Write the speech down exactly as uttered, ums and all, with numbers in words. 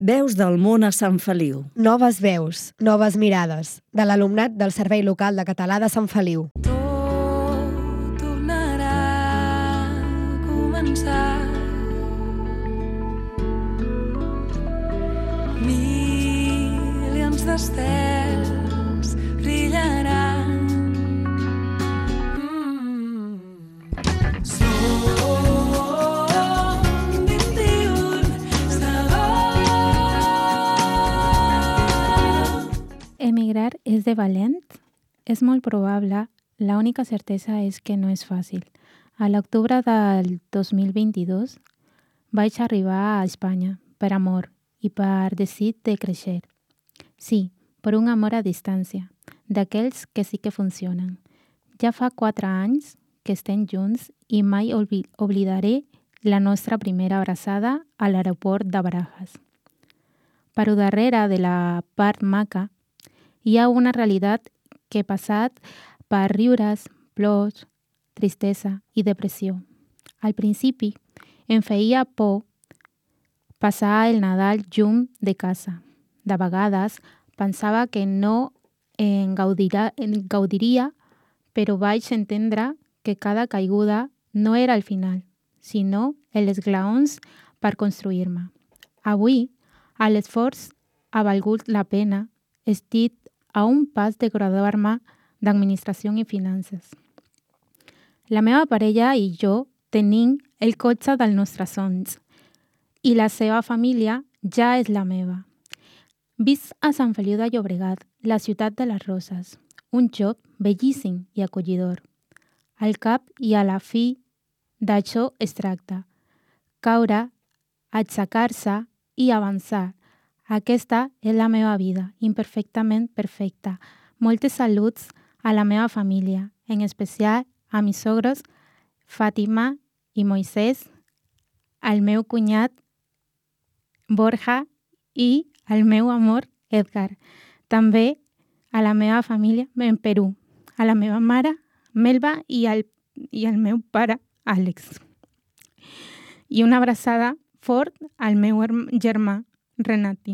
Veus del món a Sant Feliu. Noves veus, noves mirades, de l'alumnat del Servei Local de Català de Sant Feliu. Tot tornarà a començar. Milions d'estels brillaran. Mm. Som vint-i-un segons. Emigrar és de valent? És molt probable. La única certesa és que no és fàcil. A l'octubre del dos mil vint-i-dos vaig arribar a Espanya per amor i per desig de créixer. Sí, per un amor a distància, d'aquells que sí que funcionen. Ja fa quatre anys que estem junts i mai obli- oblidaré la nostra primera abraçada a l'aeroport de Barajas. Però darrere de la part maca hi ha una realitat que he passat per riures, plors, tristesa i depressió. Al principi em feia por passar el Nadal lluny de casa. De vegades pensava que no en, gaudirà, en gaudiria, però vaig entendre que cada caiguda no era el final, sinó els esglaons per construir-me. Avui, l'esforç ha valgut la pena. Estic a un pas de graduar-me d'Administració i Finances. La meva parella i jo tenim el cotxe dels nostres somnis i la seva família ja és la meva. Visc a Sant Feliu de Llobregat, la ciutat de les roses, un lloc bellíssim i acollidor. Al cap i a la fi d'això es tracta. Caure, aixecar-se i avançar. Aquesta és la meva vida, imperfectament perfecta. Moltes saluts a la meva família, en especial a mis sogros Fàtima i Moisès, al meu cunyat Borja i al meu amor Edgar. També a la meva família en Perú, a la meva mare Melba i al, i al meu pare Àlex. I una abraçada fort al meu germà Renati.